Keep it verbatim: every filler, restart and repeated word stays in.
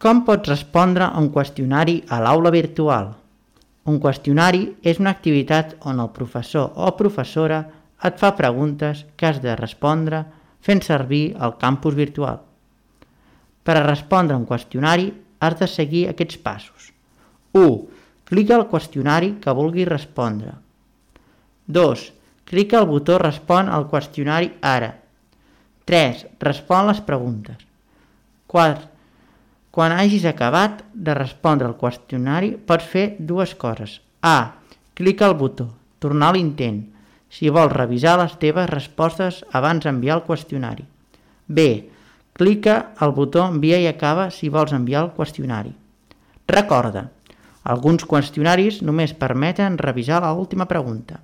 Com pots respondre a un qüestionari a l'aula virtual? Un qüestionari és una activitat on el professor o professora et fa preguntes que has de respondre fent servir el campus virtual. Per a respondre a un qüestionari has de seguir aquests passos. u. Clica al qüestionari que vulguis respondre. dos. Clica al botó Respon al qüestionari ara. tres. Respon les preguntes. quatre. Quan hagis acabat de respondre al qüestionari pots fer dues coses. A. Clica al botó Tornar a l'intent si vols revisar les teves respostes abans d'enviar el qüestionari. B. Clica al botó Envia i acaba si vols enviar el qüestionari. Recorda, alguns qüestionaris només permeten revisar l'última pregunta.